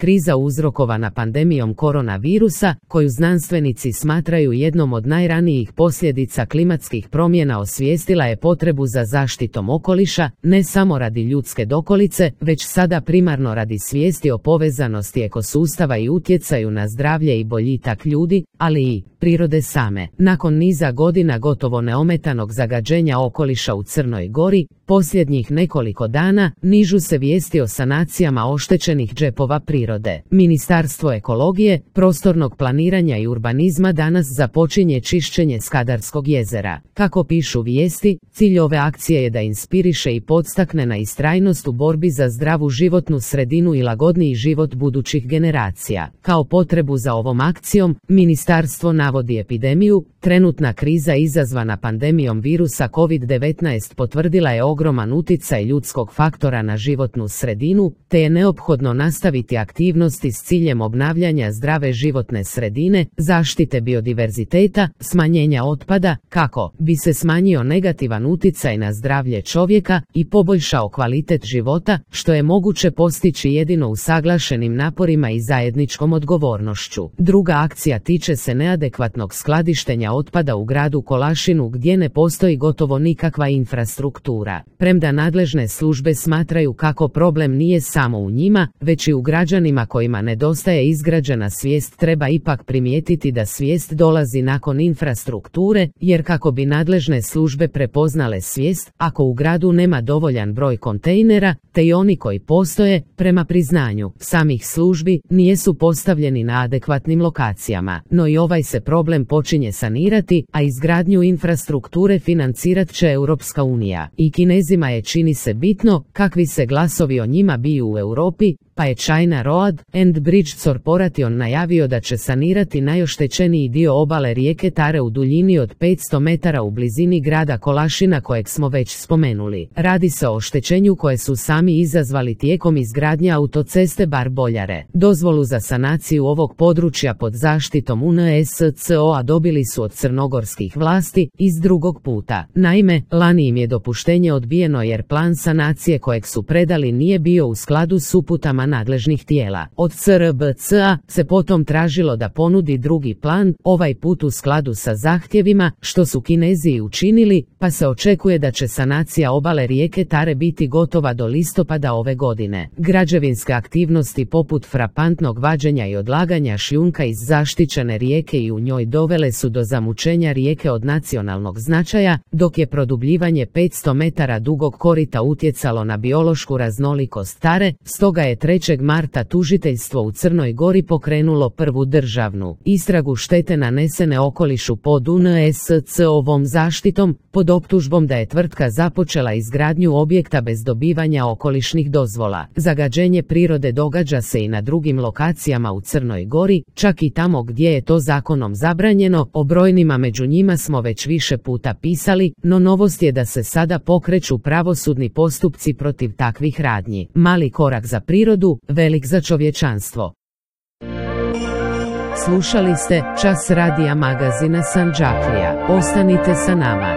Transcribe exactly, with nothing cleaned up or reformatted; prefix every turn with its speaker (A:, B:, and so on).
A: Kriza uzrokovana pandemijom koronavirusa, koju znanstvenici smatraju jednom od najranijih posljedica klimatskih promjena, osvijestila je potrebu za zaštitom okoliša, ne samo radi ljudske dokolice, već sada primarno radi svijesti o povezanosti ekosustava i utjecaju na zdravlje i boljitak ljudi, ali i prirode same. Nakon niza godina gotovo neometanog zagađenja okoliša u Crnoj Gori, posljednjih nekoliko dana nižu se vijesti o sanacijama oštećenih džepova prirode. Ministarstvo ekologije, prostornog planiranja i urbanizma danas započinje čišćenje Skadarskog jezera. Kako pišu vijesti, cilj ove akcije je da inspiriše i podstakne na istrajnost u borbi za zdravu životnu sredinu i lagodniji život budućih generacija. Kao potrebu za ovom akcijom, ministarstvo navodi epidemiju. Trenutna kriza izazvana pandemijom virusa kovid devetnaest potvrdila je ogroman utjecaj ljudskog faktora na životnu sredinu, te je neophodno nastaviti aktivnosti s ciljem obnavljanja zdrave životne sredine, zaštite biodiverziteta, smanjenja otpada, kako bi se smanjio negativan utjecaj na zdravlje čovjeka i poboljšao kvalitet života, što je moguće postići jedino usaglašenim naporima i zajedničkom odgovornošću. Druga akcija tiče se neadekvatnog skladištenja otpada u gradu Kolašinu, gdje ne postoji gotovo nikakva infrastruktura. Premda nadležne službe smatraju kako problem nije samo u njima, već i u građanima kojima nedostaje izgrađena svijest, treba ipak primijetiti da svijest dolazi nakon infrastrukture, jer kako bi nadležne službe prepoznale svijest, ako u gradu nema dovoljan broj kontejnera, te i oni koji postoje, prema priznanju samih službi, nisu postavljeni na adekvatnim lokacijama. No i ovaj se problem počinje sanirati, a izgradnju infrastrukture financirat će Europska unija. I Kinezima je, čini se, bitno kakvi se glasovi o njima biju u Europi, pa je China Road and Bridge Corporation najavio da će sanirati najoštećeniji dio obale rijeke Tare u duljini od petsto metara u blizini grada Kolašina, kojeg smo već spomenuli. Radi se o oštećenju koje su sami izazvali tijekom izgradnje autoceste Bar-Boljare. Dozvolu za sanaciju ovog područja pod zaštitom U N S C O-a dobili su od crnogorskih vlasti iz drugog puta. Naime, lani im je dopuštenje odbijeno jer plan sanacije kojeg su predali nije bio u skladu s uputama nadležnih tijela. Od C R B C-a se potom tražilo da ponudi drugi plan, ovaj put u skladu sa zahtjevima, što su Kinezi i učinili, pa se očekuje da će sanacija obale rijeke Tare biti gotova do listopada ove godine. Građevinske aktivnosti poput frapantnog vađenja i odlaganja šljunka iz zaštićene rijeke i u njoj dovele su do zamućenja rijeke od nacionalnog značaja, dok je produbljivanje petsto metara dugog korita utjecalo na biološku raznolikost Tare. Stoga je trećeg marta tužiteljstvo u Crnoj Gori pokrenulo prvu državnu istragu štete nanesene okolišu pod U N S C O-vom zaštitom, pod optužbom da je tvrtka započela izgradnju objekta bez dobivanja okolišnih dozvola. Zagađenje prirode događa se i na drugim lokacijama u Crnoj Gori, čak i tamo gdje je to zakonom zabranjeno. O brojnima među njima smo već više puta pisali, no novost je da se sada pokreću pravosudni postupci protiv takvih radnji. Mali korak za prirodu, velik za čovječanstvo. Slušali ste Čas radija magazina Sandžaklija. Ostanite sa nama.